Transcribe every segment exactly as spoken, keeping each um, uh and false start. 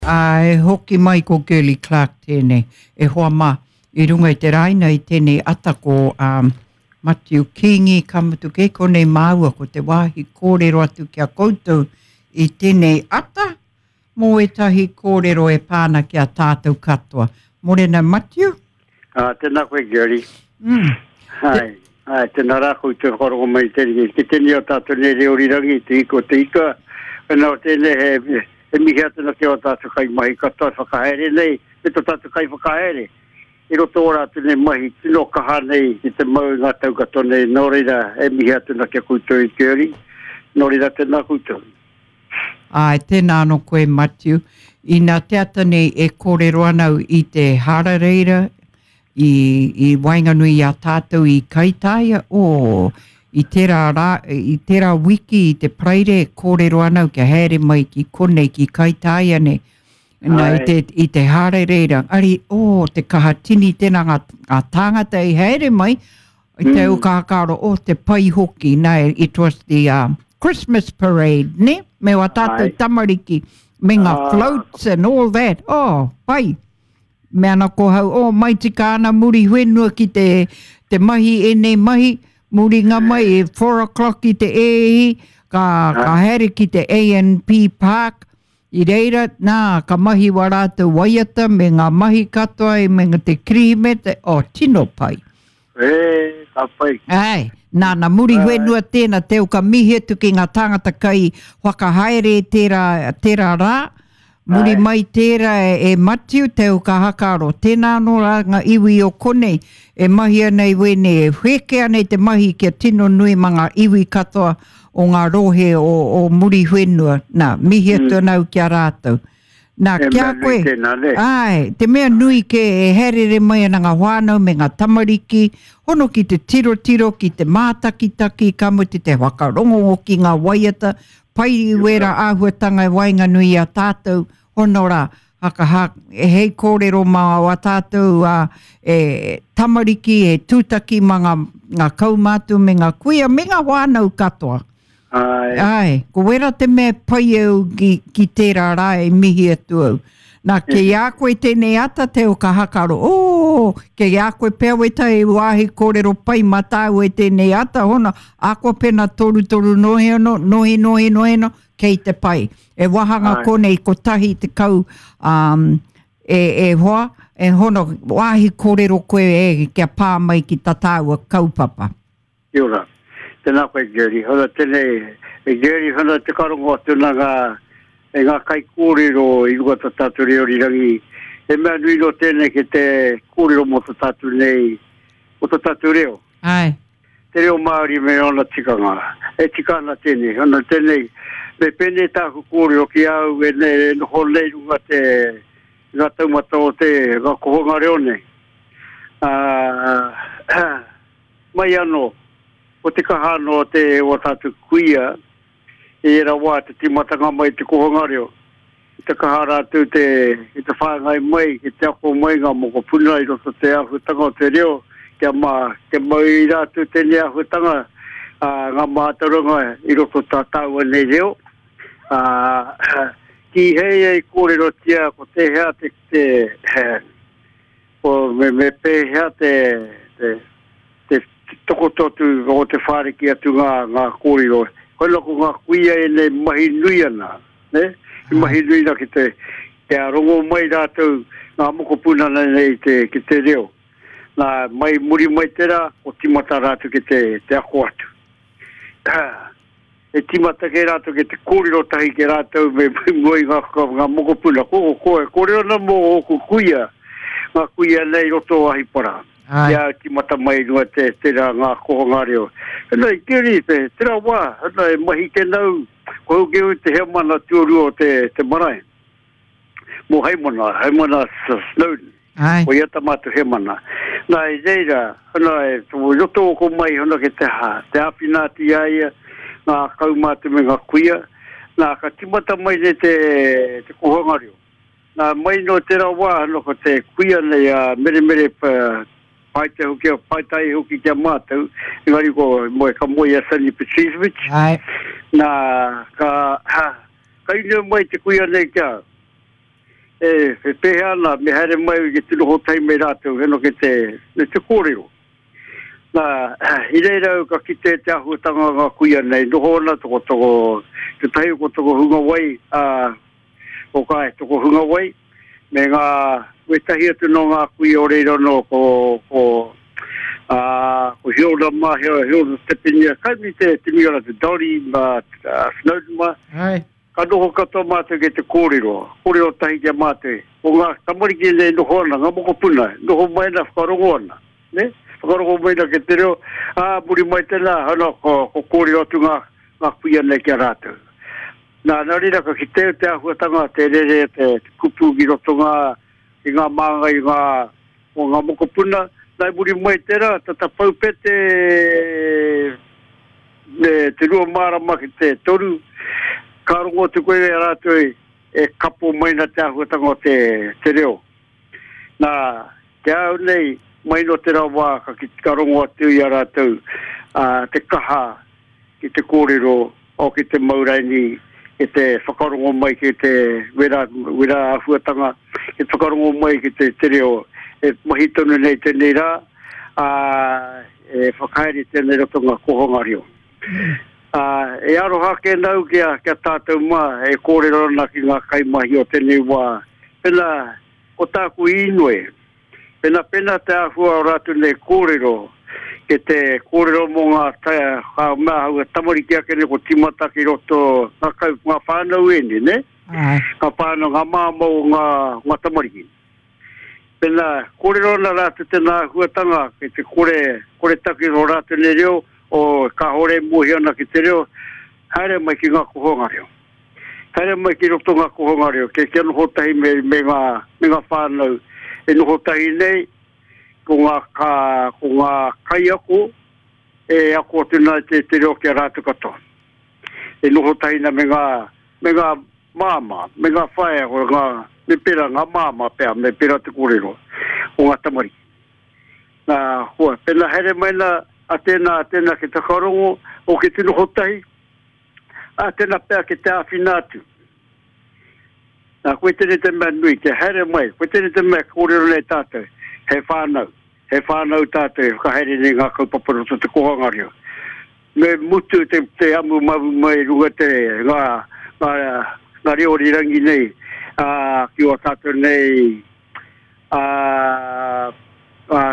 Ā, e hoki mai ko Girlie Clark tēnei. E hoa mā, i runga i te raina i tēnei ata ko um, Matiu Kingi, ka mutu kei konei māua ko te wāhi kōrero atu ki a koutou i tēnei ata mō ētahi kōrero e pā ana ki a tātou katoa. Morena Matiu? Ah, tēnā koe, Girlie. Mm. Hai, hai, tēnā rā koutou whakarongo mai tēnei. Ki tēnei o tātou nei reo rirangi, te iko te ika. Nā tēnei he, he mihi atu na ki o tātou kai mahi katoa whakahaere nei, me tō tātou kai whakahaere. I roto o rātou nei mahi, tino kaha nei ki te mau i ngā tau katoa nei. Nō reira, e mihi atu na ki a koutou i Girlie. Nō reira, tēnā koutou. Ai, tēnā anō koe, Matiu. Ina te ata nei e kōrero ana au i te harareira, i, i waenganui i a tātou i Kaitaia, oh, i tērā rā, i tērā wiki i te Paraire e kōrero ana au kia haere mai ki konei ki Kaitaia nei. Nā, i Ai. te, i te harareira, ari, oh, te kaha tini tēnā ngā, ngā tāngata i haere mai, i te mm. ukākaro, oh, te pai hoki, nā, it was the um, Christmas parade, ne? Me wā tātou Ai. tamariki, me ngā Ah. floats and all that, oh, pai. Me ana ko hau, oh, mai tika ana muri whenua ki te, te mahi enei mahi, muri ngā mai e four o'clock i te ehi, ka, ka haere ki te A N P Park, i reira, nā, ka mahi wā rātou waiata me ngā mahi katoa i me te kirihimete, oh, tino pai. E, ka pai. Ai, nā, nā muri Ai. whenua tēnā, teo ka mihi atu ki ngā tāngata kai whakahaere tērā, tērā rā, muri Ai. mai tērā e, e Matiu, teo ka hakaro. Tēnā anō rā ngā iwi o konei, e mahi ana i wēnei, e wheke ana i te mahi kia tino nui ma ngā iwi katoa o ngā rohe o, o muri whenua. Nā, mihi atu Mm. ana au ki a rātou. Nā, E ki a mea nui koe, tēnā, ne? Ai, te mea nui ke e herere mai ana ngā whānau me ngā tamariki, hono ki te tirotiro, ki te mātakitaki, ka mutu te whakarongo ki ngā waiata, pai i wera āhuatanga e waenganui i a tātou, hono rā, haka ha, e hei kōrero mā wā tātou a, e, tamariki, e tūtaki mā ngā, ngā kaumātua me ngā kuia, me ngā whānau katoa. Ai. Ai, ko wera te mea pai au ki, ki tērā rā e mihi atu au. Nā, kei a koe tēnei ata te o ka hakaro, oh, kei a koe pea weta e wāhi kōrero pai mā tāu e tēnei ata, hona, a koa pena toru toru nohi ano, nohi nohi nohi no, kei te pai. E wahanga Ai. konei kotahi te kau, um, e, e hoa, e hono, wāhi kōrero koe e kia pā mai ki tā tāua kaupapa. Kia ora. Tēnā koe, Girlie. Hona tēnei, e Girlie, hona te karongo atu nā ngā, e ngā kai kōrero i runga tā tātou reo rirangi. E mea nui no tēnei ki te kōrero mō tā tātou nei, mō tā tātou reo. Ai. Te reo Māori me ona tikanga. E tika ana tēnei, hona tēnei, me pēnei tāku kōrero ki au e nei, e noho nei runga te, ngā taumata o te, ngā kohonga reo nei. Ah, mai anō, o te kaha anō te o tātou kuia, e era wā te timatanga mai te kohonga reo. I te kaha rātou te, i te whāngai mai, i te ako mai ngā mokopuna i roto te āhuatanga o te reo, kia mā, kia mau i rātou tēnei āhuatanga, ā, ngā mātauranga i roto tā tāua nei reo. Ā, ki hei ei kōrerotia ko tēhea te, te, ko me, me pēhea te, te, te tokototu o te whāriki atu ngā, ngā kōrero. Koina ko ngā kuia e nei mahi nui ana, ne? I mahi nui na ki te, te rongo mai rātou ngā mokopuna nei te, ki te reo. Nā, mai muri mai tērā, o timata rātou ki te, te ako atu. E timata ke rātou ki te kōrero tahi ke rātou me mua i ngā, ngā mokopuna. Ko, ko, ko, e kōrero ana mō ōku kuia, ngā kuia nei roto o Ahipara. Ai. Ia timata mai runga te, tērā ngā kohonga reo. Hena i keri, te, tērā wā, hena e mahi te nau, ko au ke au te heamana tuarua o te, te marae. Mō Haimona, Haimona Snowden. Ai. Ko ia ta mātou heamana. Nā i reira, hena e, tō roto o ko mai, hena ke te, ha, te āwhina atu i a ia, ngā kaumātua me ngā kuia. Nā, ka timata mai nei te, te kohonga reo. Nā, mai no tērā wā, hena ko te kuia nei a Meremere pa, pai te hoki, pai tai hoki kia mātou, engari ko moe ka moe a Sunny Petricevic. Ai. Nā, ka, ha, ka inua mai te kuia nei kia. E, e pēhea ana, me haere mai ki te noho tai me rātou, heno ki te, me te kōrero. Nā, i reira au ka kite te āhuatanga ngā kuia nei, noho ana toko toko, te tahi ko toko hunga wai, a, o ka e toko hunga wai, me ngā, wetahi atu no ngā kuia o reira no, ko, ko, a, ko Hiona mā, Hiona, Hiona Tepinia, kai mi te, te miora te Dori, ma, uh, Snowden mā. Ai. Ka noho katoa mātou ki te kōrero, kōrero tahi ki a mātou. Ko ngā tamariki nei noho ana, ngā mokopuna, noho mai na whakarongo ana. Ne? Whakarongo mai na ki te reo, ā, muri mai tēnā, ana, ko, ko kōrero atu ngā, ngā kuia nei ki a rātou. Nā, nā reira ka ki te te āhuatanga, te rere, te, te kupu ki roto ngā, ki ngā māngai, ngā, o ngā mokopuna, nā muri mai tērā, tata paupete, me te rua marama ki te toru, ka rongo atu koe e rātou e kapo mai na te āhuatanga o te, te reo. Nā, te au nei, mai no te rawa ka, ki, ka rongo atu i a rātou a, te kaha ki te kōrero o ki te mauraini, ki te whakarongo mai ki te wera, wera āhuatanga, ki te whakarongo mai ki te, te reo. E mahi tonu nei tēnei rā, a, e whakahaere tēnei roto ngā kohanga reo. Uh, e aroha ke nau kia, kia tātou mā, e kōrero ana ki ngā kaimahi o tēnei wā. Pena, ko tāku inoi, pena pena te āhua o rātou nei kōrero, ke te kōrero mō ngā taia, kā mea hau e tamariki ake nei ko timata ki roto ngā, kau, ngā whānau ene, ne? Ai. Ngā whānau, ngā māma o ngā, ngā tamariki. Pena, kōrero ana rātou tēnā āhuatanga, ke te kore, kore taki o rātou nei reo, o kāhore mohi ana ki te reo, haere mai ki ngā kohonga reo. Haere mai ki roto ngā kohonga reo, ke kia noho tahi me, me, ngā, me ngā whānau. E noho tahi nei, ko ngā, ka, ko ngā kaiako, e ako atu nā te, te reo ki a rātou katoa. E noho tahi na me ngā, me ngā māma, me ngā whaea, ko ngā, me pera ngā māma pea, me pera te kōrero, o ngā tamariki. Nā, hua, pena haere mai nā, a tēnā, a tēnā ki te whakarongo, o ki te noho tahi, a tēnā pea ki te āwhina atu. Nā, koe tēnei te mea nui, te haere mai, koe tēnei te mea kōrero nei tātou, he whānau, he whānau tātou, e whakahaere nei ngā kaupapa roto te kohanga reo. Me mutu te, te amu mabu mai runga te ngā, ngā, ngā reo rirangi nei, ā, ki o tātou nei, ā, ā,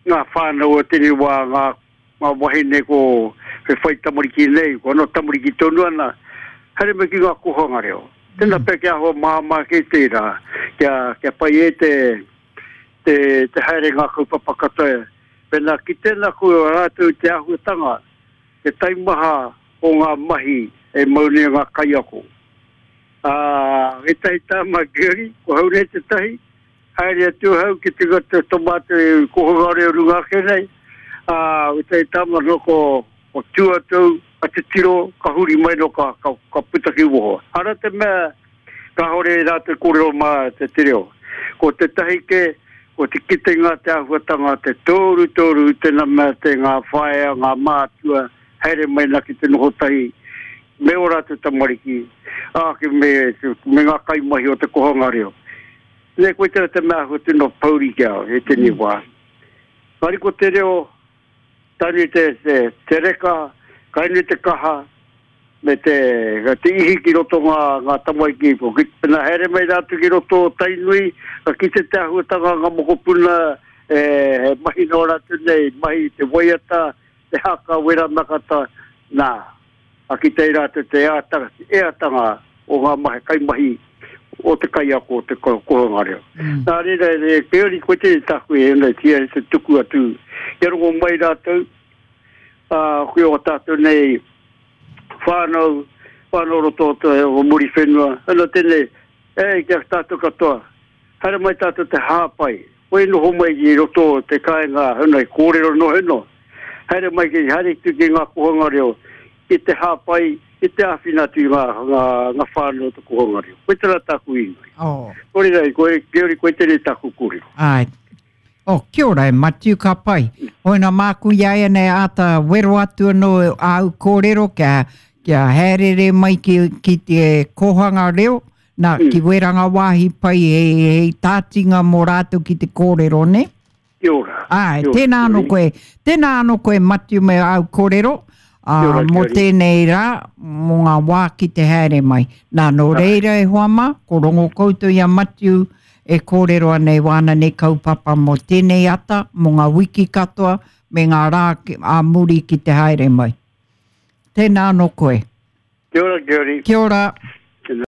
ngā whānau o tēnei wā, ngā, ngā wahine ko he whai tamariki nei, ko anō tamariki tonu ana, haere mai ki ngā kohanga reo. Tēnā pea kia hoa māmā ke tērā, kia, kia pai e te, te, te haere ngā kaupapa katoa. Pena ki tēnā koe o rātou te āhuatanga, te taimaha o ngā mahi e mau nei ngā kaiako. Ā, ētahi tāma Gary, ko hau nei te tahi, haere atu hau ki te te tomato e kohanga reo runga ake nei. Ā, ētahi tāma no ko, ko tuatou, a te tiro, ka huri mai no ka, ka, ka puta ki woho. Ara te mea, kāhore rātou kōrero mā te te reo. Ko te tahi ke, ko te kitenga te āhuatanga, te tōru tōru, tēnā mea te ngā whaea, ngā mātua, haere mai nā ki te noho tahi, me o rātou tamariki, ā, ki me, me ngā kaimahi o te kohanga reo. Ne koe tēnā te mea āhua tino pauri ki au, e tēnei wā. Kāri ko te reo, tani te, te, te reka, kaini te kaha, me te, te ihi ki roto ngā, ngā tamariki. Ko ki, pena haere mai rātou ki roto o Tainui, ka kite te āhuatanga ngā mokopuna, e, he mahi nō rātou nei, mahi te waiata, te haka, wera nakata, nā. A ki te rātou te eatanga, eatanga o ngā mahi, kaimahi o te kaiako o te kohanga reo. Mm. Nā reira, e peori koe te taku e nei, tia te tuku atu. Kia rongo mai rātou, ā, koe o tātou nei whānau, whānau roto o te o muri whenua. Ano tēnei, e, kia tātou katoa, haere mai tātou te hāpai. Koe noho mai ki roto o te kāinga, heno, e kōrero no heno. Haere mai ki, haere ki ki ngā kohanga reo, ki te hāpai, ki te āwhina atu i ngā, ngā, ngā whānau o te kohanga reo. Koe tērā tāku inoi. Oh. Kore rai, koe, Geori, koe tēnei tāku kōrero. Ai. Oh, kia ora e Matiu, ka pai. Hoina māku ia e nei āta wero atu anō āu kōrero kia, kia haerere mai ki, ki te kohanga reo, Nā, mm. ki wera ngā wāhi pai e, e tātinga mō rātou ki te kōrero, ne? Kia ora. Ai, tēnā anō koe, tēnā anō koe Matiu me au kōrero, uh, mō tēnei rā, mō ngā wā ki te haere mai. Nā, nō reira e hoa mā, ko rongo koutou i a Matiu e kōrero ana e wāna nei kaupapa mō tēnei ata, mō ngā wiki katoa, me ngā rā a muri ki te haere mai. Tēnā anō koe. Kia ora, Kia ora. Kia ora.